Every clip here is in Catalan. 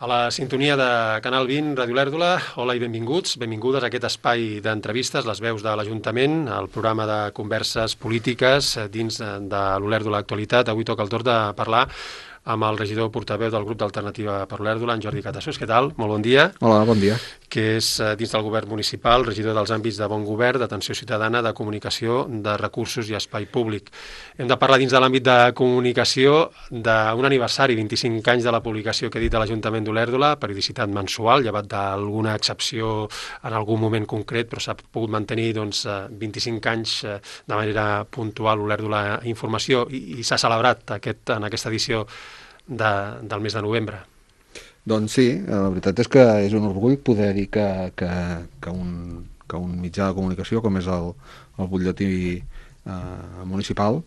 A la sintonia de Canal 20, Ràdio Lèrdula, hola i benvinguts, benvingudes a aquest espai d'entrevistes, les veus de l'Ajuntament, el programa de converses polítiques dins de l'Olèrdula Actualitat. Avui toca el torn de parlar amb el regidor portaveu del grup d'Alternativa per l'Olèrdula, en Jordi Catassos. Què tal? Molt bon dia. Hola, bon dia. Que és dins del govern municipal, regidor dels àmbits de bon govern, d'atenció ciutadana, de comunicació, de recursos i espai públic. Hem de parlar dins de l'àmbit de comunicació d'un aniversari, 25 anys de la publicació que he dit de l'Ajuntament d'Olèrdula, periodicitat mensual, llevat d'alguna excepció en algun moment concret, però s'ha pogut mantenir 25 anys de manera puntual Olèrdula Informació i s'ha celebrat en aquesta edició del mes de novembre. Doncs sí, la veritat és que és un orgull poder dir que un mitjà de comunicació com és el butlletí municipal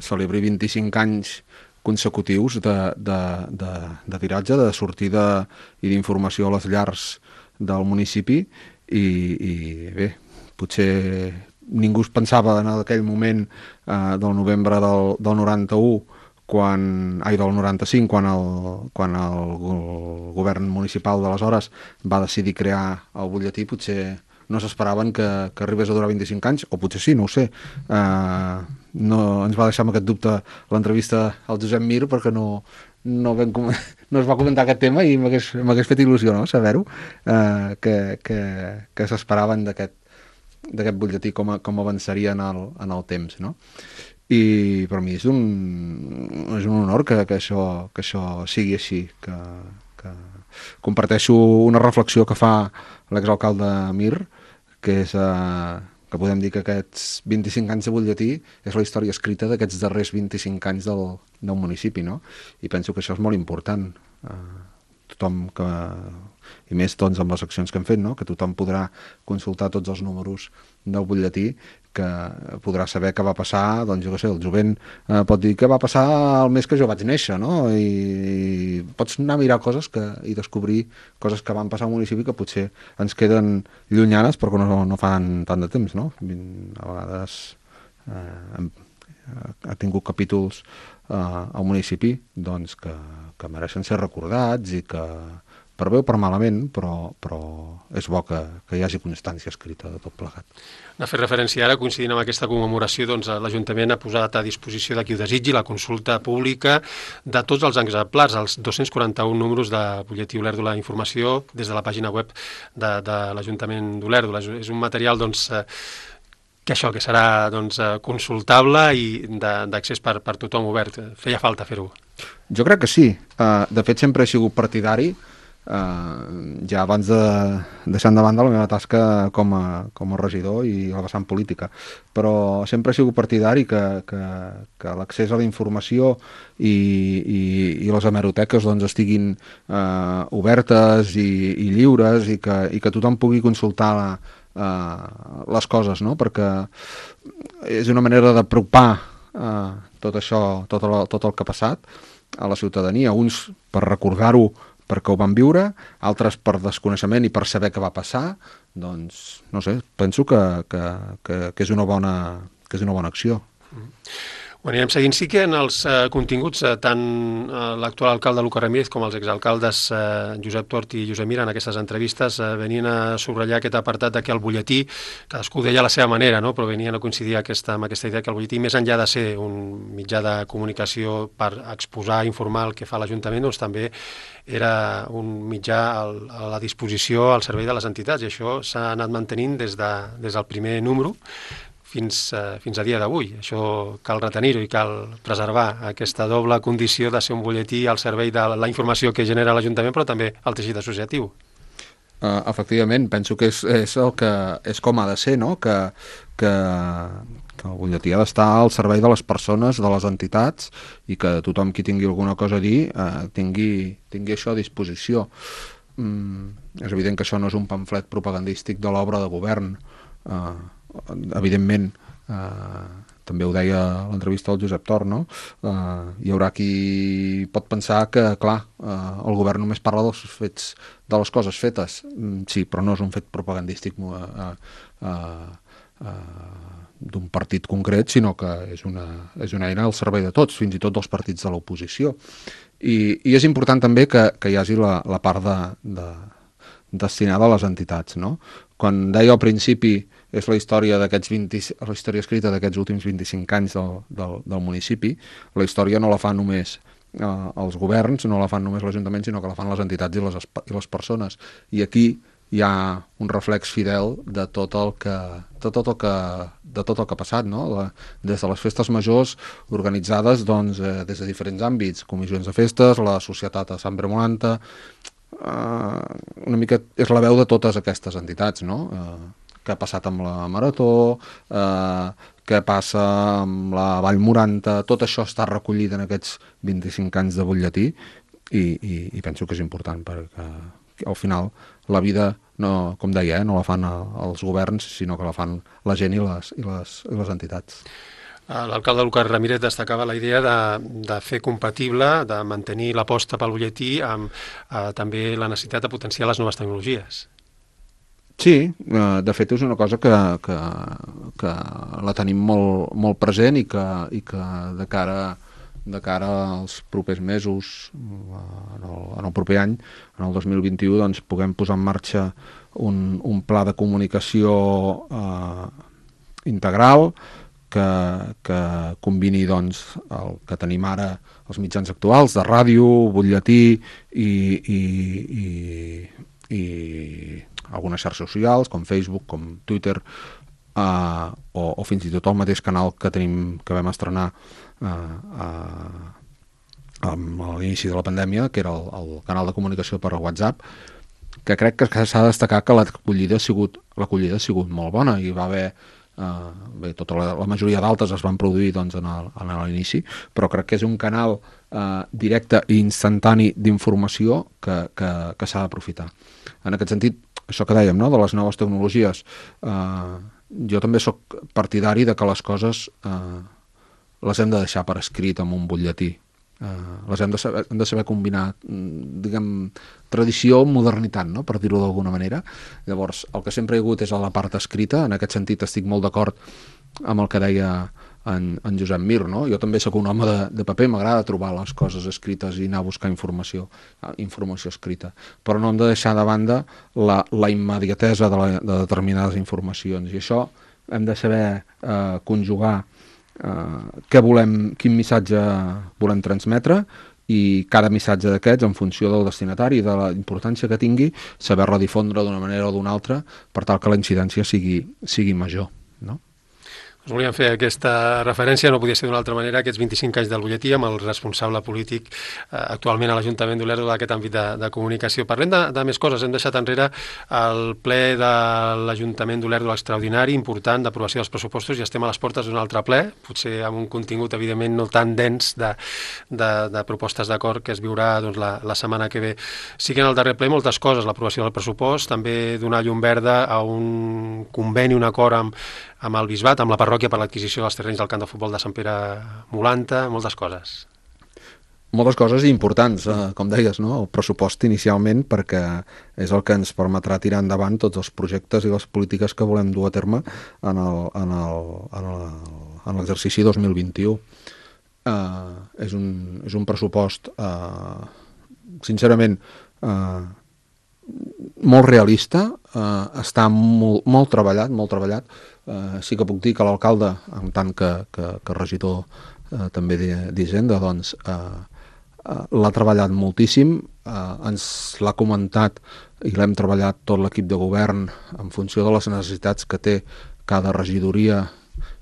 celebri 25 anys consecutius de tiratge, de sortida i d'informació a les llars del municipi i bé, potser ningú es pensava en aquell moment del novembre del 91 del 95, quan el govern municipal d'aleshores va decidir crear el butlletí, potser no s'esperaven que arribés a durar 25 anys, o potser sí, no ho sé. No ens va deixar amb aquest dubte l'entrevista al Josep Mir, perquè no es va comentar aquest tema i m'hagués fet il·lusió, no?, saber-ho, que s'esperaven d'aquest butlletí com avançaria en el temps, no? I per mi és un honor que això sigui així, que comparteixo una reflexió que fa l'exalcalde Mir, que és que podem dir que aquests 25 anys de butlletí és la història escrita d'aquests darrers 25 anys del municipi, no? I penso que això és molt important. Tothom i més amb les accions que hem fet, no?, que tothom podrà consultar tots els números del butlletí, que podrà saber què va passar, doncs jo què sé, el jovent pot dir què va passar el mes que jo vaig néixer, no?, i pots anar a mirar coses i descobrir coses que van passar al municipi que potser ens queden llunyanes perquè no fan tant de temps, no? A vegades ha tingut capítols al municipi doncs que mereixen ser recordats i que per bé o per malament, però és bo que hi hagi constància escrita de tot plegat. A fer referència ara, coincidint amb aquesta commemoració, doncs l'Ajuntament ha posat a disposició de qui ho desitgi la consulta pública de tots els exemplars, els 241 números de butlletí Olèrdula Informació des de la pàgina web de l'Ajuntament d'Olèrdula. És un material, doncs, que serà consultable i d'accés per tothom obert. Feia falta fer-ho. Jo crec que sí. De fet, sempre he sigut partidari, ja abans de deixar endavant de la meva tasca com a regidor i la vessant política, però sempre he sigut partidari que l'accés a la informació i les hemeroteques doncs estiguin obertes i lliures i que tothom pugui consultar les coses, no? Perquè és una manera d'apropar tot això, tot el que ha passat a la ciutadania, uns per recordar-ho perquè ho van viure, altres per desconeixement i per saber què va passar. Doncs, no sé, penso que és una bona acció. Ho anirem seguint. Sí que en els continguts, tant l'actual alcalde Lucas Ramírez com els exalcaldes Josep Tort i Josep Mir en aquestes entrevistes venien a subratllar aquest apartat de que el butlletí, cadascú deia a la seva manera, no?, però venien a coincidir amb aquesta idea que el butlletí, més enllà de ser un mitjà de comunicació per exposar, informar el que fa l'Ajuntament, doncs també era un mitjà a la disposició al servei de les entitats, i això s'ha anat mantenint des del primer número fins a dia d'avui. Això cal retenir-ho i cal preservar aquesta doble condició de ser un butlletí al servei de la informació que genera l'Ajuntament, però també el teixit associatiu. Efectivament, penso que és com ha de ser, no?, que el butlletí ha d'estar al servei de les persones, de les entitats, i que tothom qui tingui alguna cosa a dir tingui això a disposició. És evident que això no és un pamflet propagandístic de l'obra de govern. Evidentment, també ho deia a l'entrevista del Josep Tort, no? Hi haurà qui pot pensar que, clar, el govern només parla dels fets, de les coses fetes. Sí, però no és un fet propagandístic d'un partit concret, sinó que és una eina al servei de tots, fins i tot dels partits de l'oposició. I és important també que hi hagi la part destinada a les entitats, no? Quan deia al principi és la història la història escrita d'aquests últims 25 anys del municipi, la història no la fan només els governs, no la fan només l'Ajuntament, sinó que la fan les entitats i les persones. I aquí hi ha un reflex fidel de tot el que ha passat, no? Des de les festes majors organitzades des de diferents àmbits, comissions de festes, la societat a Sant Bremolanta, una mica és la veu de totes aquestes entitats, no? Què ha passat amb la Marató, què passa amb la Vall Moranta, tot això està recollit en aquests 25 anys de butlletí i penso que és important perquè al final la vida, no, com deia, no la fan els governs, sinó que la fan la gent i les entitats. L'alcalde Lucas Ramírez destacava la idea de fer compatible, de mantenir l'aposta pel butlletí amb també la necessitat de potenciar les noves tecnologies. Sí, de fet és una cosa que la tenim molt present i que de cara als propers mesos, en el proper any, en el 2021, doncs puguem posar en marxa un pla de comunicació integral que combini doncs, el que tenim ara els mitjans actuals de ràdio, butlletí i algunes xarxes socials com Facebook, com Twitter, o fins i tot el mateix canal que vam estrenar a l'inici de la pandèmia, que era el canal de comunicació per WhatsApp, que crec que s'ha de destacar que l'acollida ha sigut molt bona i va haver la majoria d'altes es van produir doncs, en l'inici, però crec que és un canal directe i instantani d'informació que s'ha d'aprofitar. En aquest sentit, això que dèiem, no?, de les noves tecnologies, jo també sóc partidari de que les coses les hem de deixar per escrit en un butlletí. Les hem de saber combinar, diguem, tradició amb modernitat, no?, per dir-ho d'alguna manera. Llavors, el que sempre hi ha hagut és a la part escrita. En aquest sentit estic molt d'acord amb el que deia en Josep Mir, no? Jo també sóc un home de paper, m'agrada trobar les coses escrites i anar a buscar informació escrita, però no hem de deixar de banda la immediatesa de determinades informacions, i això hem de saber conjugar quin missatge volem transmetre, i cada missatge d'aquests, en funció del destinatari i de la importància que tingui, saber-la difondre d'una manera o d'una altra per tal que la incidència sigui major, no? Us volíem fer aquesta referència, no podia ser d'una altra manera, aquests 25 anys del butlletí amb el responsable polític actualment a l'Ajuntament d'Olèrdola d'aquest àmbit de comunicació. Parlem de més coses. Hem deixat enrere el ple de l'Ajuntament d'Olèrdola extraordinari, important, d'aprovació dels pressupostos, i estem a les portes d'un altre ple, potser amb un contingut evidentment no tan dens de propostes d'acord que es viurà doncs, la setmana que ve. Sí que en el darrer ple moltes coses, l'aprovació del pressupost, també donar llum verda a un conveni, un acord amb el Bisbat, amb la parròquia per l'adquisició dels terrenys del camp de futbol de Sant Pere Molanta, moltes coses. Moltes coses importants, com deies, no? El pressupost inicialment, perquè és el que ens permetrà tirar endavant tots els projectes i les polítiques que volem dur a terme en l'exercici 2021. És un pressupost, sincerament, molt realista, està molt treballat. Sí que puc dir que l'alcalde, en tant que regidor també d'Hisenda, doncs l'ha treballat moltíssim, ens l'ha comentat i l'hem treballat tot l'equip de govern en funció de les necessitats que té cada regidoria,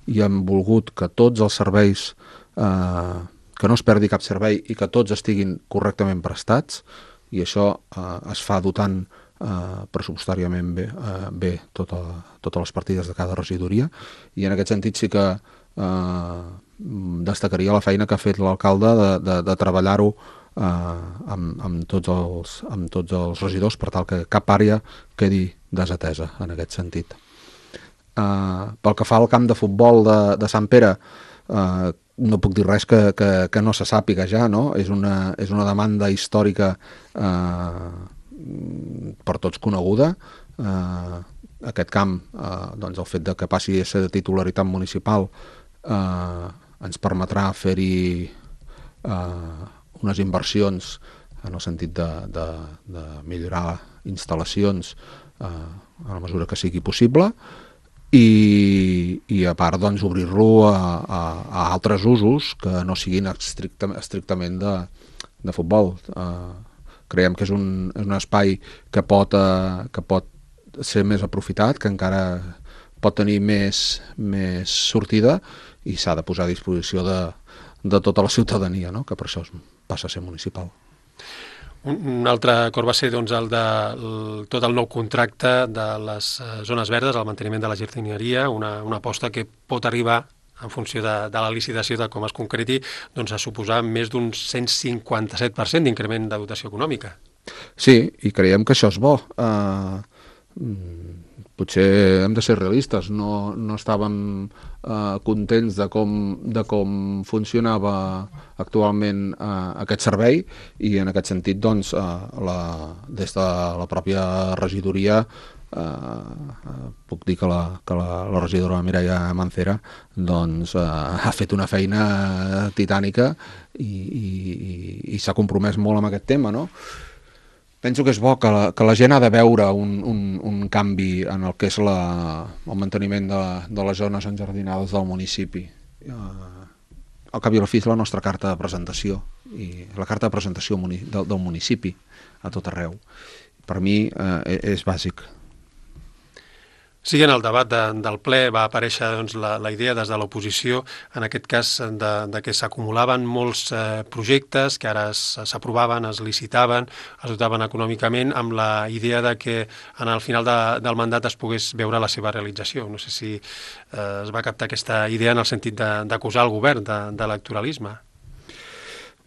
i hem volgut que tots els serveis, que no es perdi cap servei i que tots estiguin correctament prestats, i això es fa dotant pressupostàriament bé totes les partides de cada regidoria, i en aquest sentit sí que destacaria la feina que ha fet l'alcalde de treballar-ho amb tots els regidors per tal que cap àrea quedi desatesa en aquest sentit. Pel que fa al camp de futbol de Sant Pere, no puc dir res que no se sàpiga ja, no? És una demanda històrica per tots coneguda. Aquest camp, doncs el fet de que passi a ser de titularitat municipal ens permetrà fer-hi unes inversions en el sentit de millorar instal·lacions a la mesura que sigui possible, i a part doncs, obrir-lo a altres usos que no siguin estrictament de futbol. Creiem que és un espai que pot ser més aprofitat, que encara pot tenir més sortida, i s'ha de posar a disposició de tota la ciutadania, no? Que per això passa a ser municipal. Un altre acord va ser doncs, el de tot el nou contracte de les zones verdes, el manteniment de la jardineria, una aposta que pot arribar, en funció de la licitació, de com es concreti, doncs, a suposar més d'un 157% d'increment de dotació econòmica. Sí, i creiem que això és bo. Potser hem de ser realistes, no estàvem contents de com funcionava actualment aquest servei, i en aquest sentit doncs, des de la pròpia regidoria puc dir que la regidora Mireia Mancera doncs, ha fet una feina titànica i s'ha compromès molt amb aquest tema, no? Penso que és bo que la gent ha de veure un canvi en el que és el manteniment de les zones enjardinades del municipi. Al cap i a la fi és la nostra carta de presentació, i la carta de presentació del municipi a tot arreu. Per mi és bàsic. Sí, en el debat del ple va aparèixer doncs, la idea des de l'oposició, en aquest cas, de que s'acumulaven molts projectes que ara s'aprovaven, es licitaven, es dotaven econòmicament, amb la idea de que en el final del mandat es pogués veure la seva realització. No sé si es va captar aquesta idea en el sentit d'acusar el govern d'electoralisme.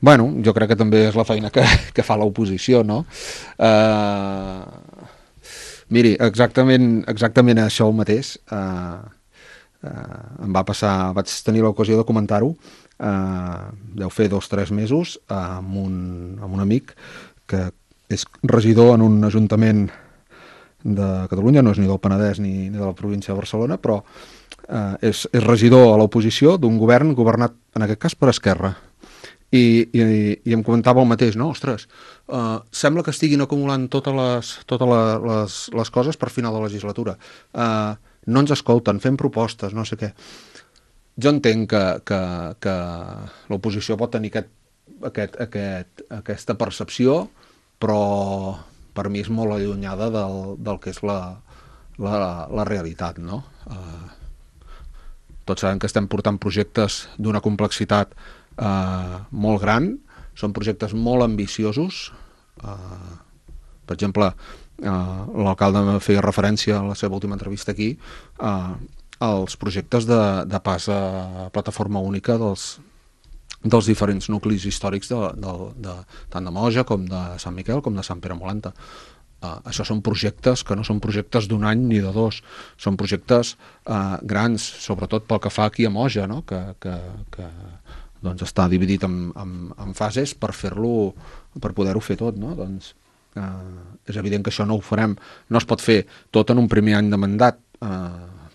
Bueno, jo crec que també és la feina que fa l'oposició, no? Miri, exactament això mateix em va passar, vaig tenir l'ocasió de comentar-ho, deu fer 2 o 3 mesos, amb un amic que és regidor en un ajuntament de Catalunya, no és ni del Penedès ni de la província de Barcelona, però és regidor a l'oposició d'un govern governat, en aquest cas, per Esquerra. I em comentava el mateix, no? Ostres, sembla que estiguin acumulant totes les coses per final de legislatura. No ens escolten, fem propostes, no sé què. Jo entenc que l'oposició pot tenir aquesta percepció, però per mi és molt allunyada del que és la realitat, no? Tots sabem que estem portant projectes d'una complexitat molt gran, són projectes molt ambiciosos. Per exemple, l'alcalde feia referència a la seva última entrevista aquí als projectes de pas a plataforma única dels diferents nuclis històrics tant de Moja com de Sant Miquel com de Sant Pere Molanta. Això són projectes que no són projectes d'1 any ni de 2, són projectes grans, sobretot pel que fa aquí a Moja, no? que doncs està dividit en fases per poder-ho fer tot, no? Doncs és evident que això no ho farem, no es pot fer tot en un primer any de mandat,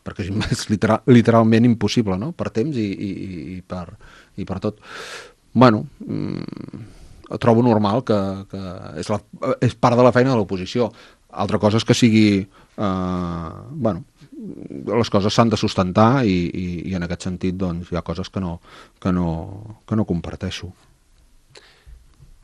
perquè és literalment impossible, no? Per temps i per tot. Bueno, trobo normal que és part de la feina de l'oposició. Altra cosa és que sigui les coses s'han de sustentar i en aquest sentit doncs, hi ha coses que no comparteixo.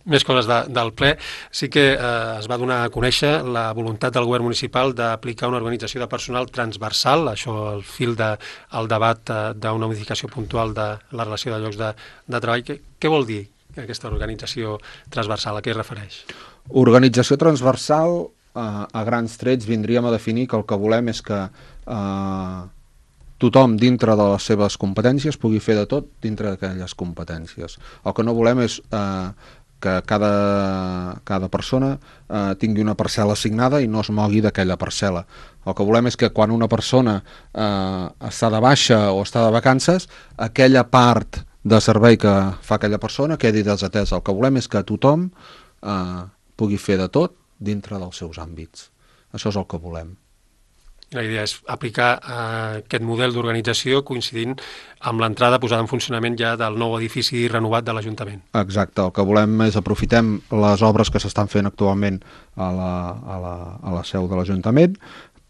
Més coses del ple. Sí que es va donar a conèixer la voluntat del govern municipal d'aplicar una organització de personal transversal, això al fil del debat d'una modificació puntual de la relació de llocs de treball. Què vol dir aquesta organització transversal? A què es refereix? Organització transversal, a grans trets, vindríem a definir que el que volem és que tothom dintre de les seves competències pugui fer de tot dintre d'aquelles competències. El que no volem és que cada persona tingui una parcel·la assignada i no es mogui d'aquella parcel·la. El que volem és que quan una persona està de baixa o està de vacances, aquella part de servei que fa aquella persona quedi desatesa. El que volem és que tothom pugui fer de tot dintre dels seus àmbits. Això és el que volem. I la idea és aplicar aquest model d'organització coincidint amb l'entrada posada en funcionament ja del nou edifici renovat de l'Ajuntament. Exacte, el que volem és aprofitem les obres que s'estan fent actualment a la seu de l'Ajuntament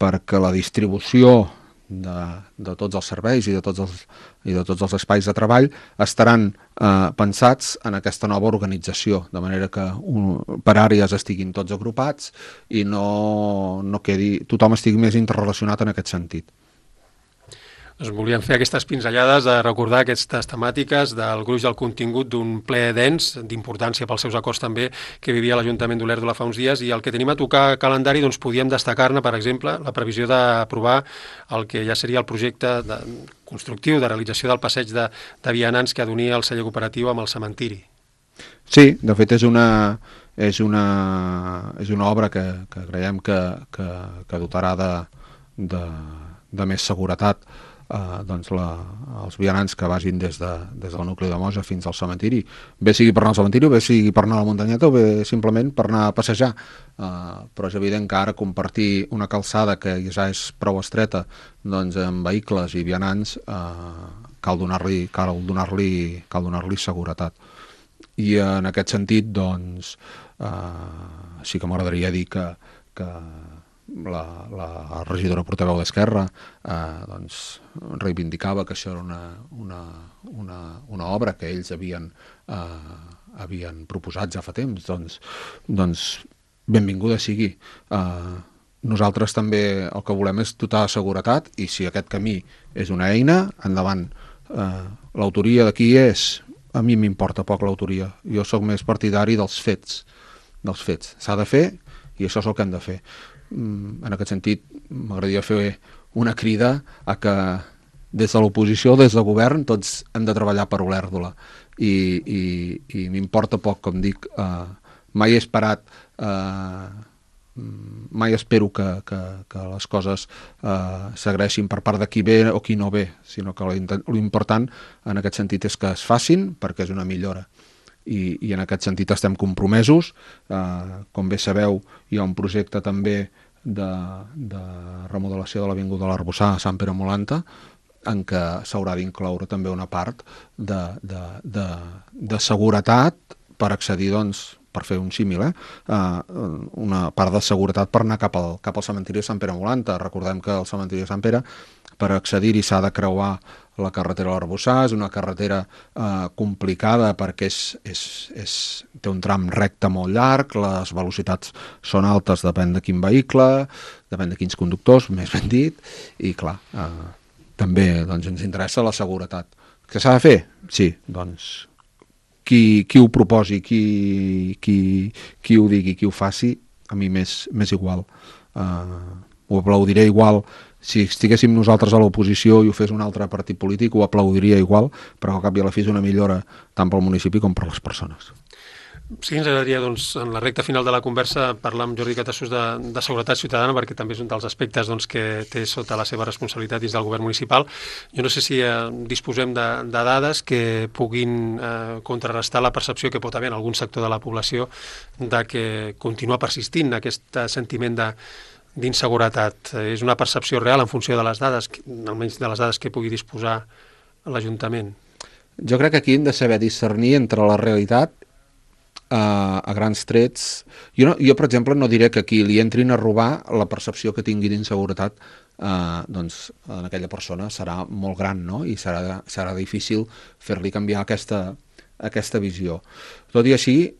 perquè la distribució de tots els serveis i de tots els espais de treball estaran pensats en aquesta nova organització, de manera que per àrees estiguin tots agrupats i no quedi, tothom estigui més interrelacionat en aquest sentit. Doncs volíem fer aquestes pinzellades de recordar aquestes temàtiques del gruix del contingut d'un ple dens, d'importància pels seus acords també, que vivia l'Ajuntament d'Olèrdola fa uns dies, i el que tenim a tocar calendari, doncs podíem destacar-ne, per exemple, la previsió d'aprovar el que ja seria el projecte constructiu de realització del passeig de vianants que adonia el celler cooperatiu amb el cementiri. Sí, de fet és una obra que creiem que dotarà de més seguretat els vianants que vagin des del nucli de Mosa fins al cementiri, bé sigui per anar al cementiri, bé sigui per anar a la muntanyeta o bé simplement per anar a passejar, però és evident que ara compartir una calçada que ja és prou estreta doncs amb vehicles i vianants cal donar-li seguretat. I en aquest sentit doncs sí que m'agradaria dir que la regidora portaveu d'Esquerra doncs reivindicava que això era una obra que ells havien proposat ja fa temps, doncs benvinguda sigui. Nosaltres també el que volem és dotar de seguretat i si aquest camí és una eina, endavant. L'autoria de qui és? A mi m'importa poc l'autoria. Jo sóc més partidari dels fets. S'ha de fer i això és el que hem de fer. En aquest sentit, m'agradaria fer una crida a que des de l'oposició, des del govern, tots hem de treballar per Olèrdola. I m'importa poc, com dic, mai he esperat, mai espero que les coses s'agraeixin per part de qui ve o qui no ve, sinó que l'important en aquest sentit és que es facin perquè és una millora. I en aquest sentit estem compromesos. Com bé sabeu, hi ha un projecte també de remodelació de l'Avinguda de l'Arboçar a Sant Pere Molanta en què s'haurà d'incloure també una part de seguretat per accedir, doncs, per fer un símil, una part de seguretat per anar cap al cementiri de Sant Pere Molanta. Recordem que el cementiri de Sant Pere, per accedir-hi s'ha de creuar la carretera de l'Arboçar, és una carretera complicada perquè té un tram recte molt llarg, les velocitats són altes, depèn de quin vehicle, depèn de quins conductors, més ben dit, i clar, també doncs, ens interessa la seguretat. Què s'ha de fer? Sí, doncs qui ho proposi, qui ho digui, qui ho faci, a mi m'és igual. Ho aplaudiré igual. Si estiguéssim nosaltres a l'oposició i ho fes un altre partit polític, ho aplaudiria igual, però al cap i a la fi és una millora tant pel municipi com per les persones. Sí, ens agradaria, doncs, en la recta final de la conversa parlar amb Jordi Catassos de seguretat ciutadana, perquè també és un dels aspectes doncs, que té sota la seva responsabilitat dins del govern municipal. Jo no sé si disposem de dades que puguin contrarrestar la percepció que pot haver en algun sector de la població de que continua persistint aquest sentiment d'inseguretat. És una percepció real en funció de les dades, almenys de les dades que pugui disposar l'Ajuntament. Jo crec que aquí hem de saber discernir entre la realitat a grans trets. Jo, per exemple, no diré que aquí li entrin a robar, la percepció que tingui d'inseguretat doncs en aquella persona serà molt gran, no? I serà difícil fer-li canviar aquesta visió. Tot i així,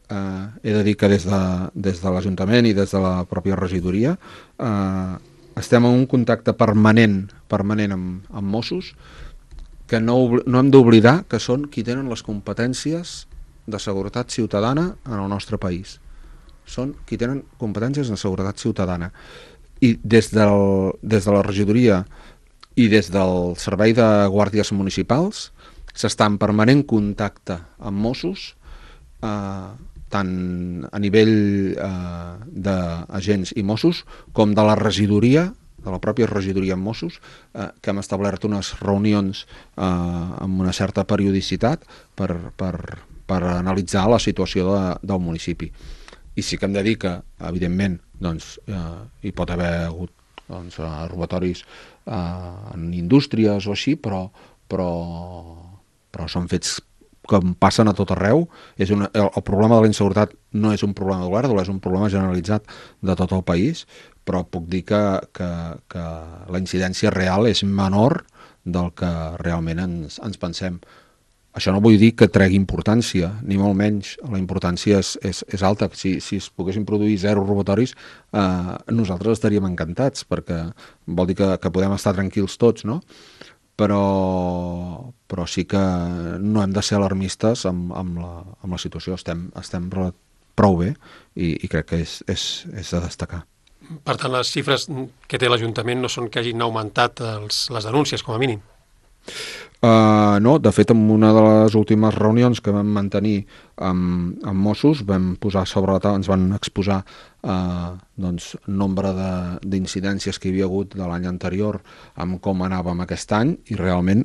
he de dir que des de l'Ajuntament i des de la pròpia regidoria estem en un contacte permanent amb Mossos, que no hem d'oblidar que són qui tenen les competències de seguretat ciutadana en el nostre país. Són qui tenen competències de seguretat ciutadana. I des de la regidoria i des del servei de guàrdies municipals s'està en permanent contacte amb Mossos, tant a nivell d'agents i Mossos com de la regidoria, de la pròpia regidoria amb Mossos, que hem establert unes reunions amb una certa periodicitat per analitzar la situació del municipi. I sí que hem de dir que, evidentment, doncs, hi pot haver hagut doncs, robatoris en indústries o així, però són fets que passen a tot arreu. El problema de la inseguretat no és un problema d'Olèrdola, és un problema generalitzat de tot el país, però puc dir que la incidència real és menor del que realment ens pensem. Això no vull dir que tregui importància, ni molt menys. La importància és alta. Si es poguessin produir 0 robatoris, nosaltres estaríem encantats, perquè vol dir que podem estar tranquils tots, no? Però sí que no hem de ser alarmistes amb la situació. Estem prou bé i crec que és de destacar. Per tant, les xifres que té l'Ajuntament no són que hagin augmentat les denúncies, com a mínim. No, de fet, en una de les últimes reunions que vam mantenir amb Mossos vam posar sobre la taula, ens van exposar nombre d'incidències que hi havia hagut de l'any anterior amb com anàvem aquest any, i realment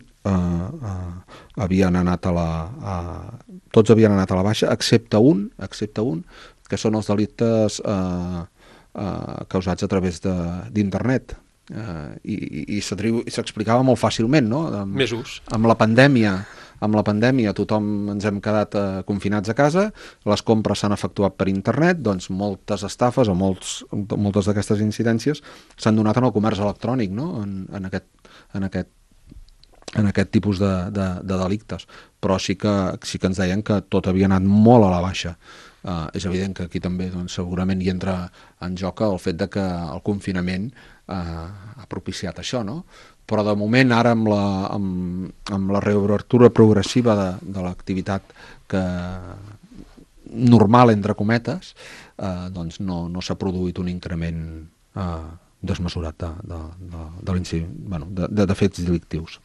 havien anat tots havien anat a la baixa, excepte un, que són els delictes causats a través d'internet. I s'explicava molt fàcilment, no? Més ús. Amb la pandèmia tothom ens hem quedat confinats a casa, les compres s'han efectuat per internet, doncs moltes estafes o moltes d'aquestes incidències s'han donat en el comerç electrònic, no? En aquest tipus de delictes. Però sí que ens deien que tot havia anat molt a la baixa. És evident que aquí també segurament hi entra en joc el fet de que el confinament ha propiciat això, no? Però de moment ara amb la reobertura progressiva de l'activitat normal, entre cometes, doncs no s'ha produït un increment desmesurat de fets delictius.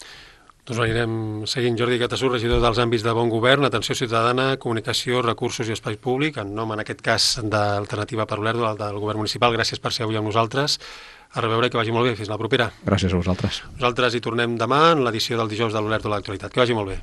Doncs anirem seguint. Jordi Catasús, regidor dels àmbits de bon govern, atenció ciutadana, comunicació, recursos i espai públic, en nom, en aquest cas, d'Alternativa per Olèrdola, del govern municipal. Gràcies per ser avui amb nosaltres. A reveure i que vagi molt bé. Fins la propera. Gràcies a vosaltres. Nosaltres hi tornem demà en l'edició del dijous de l'Olèrdola de l'Actualitat. Que vagi molt bé.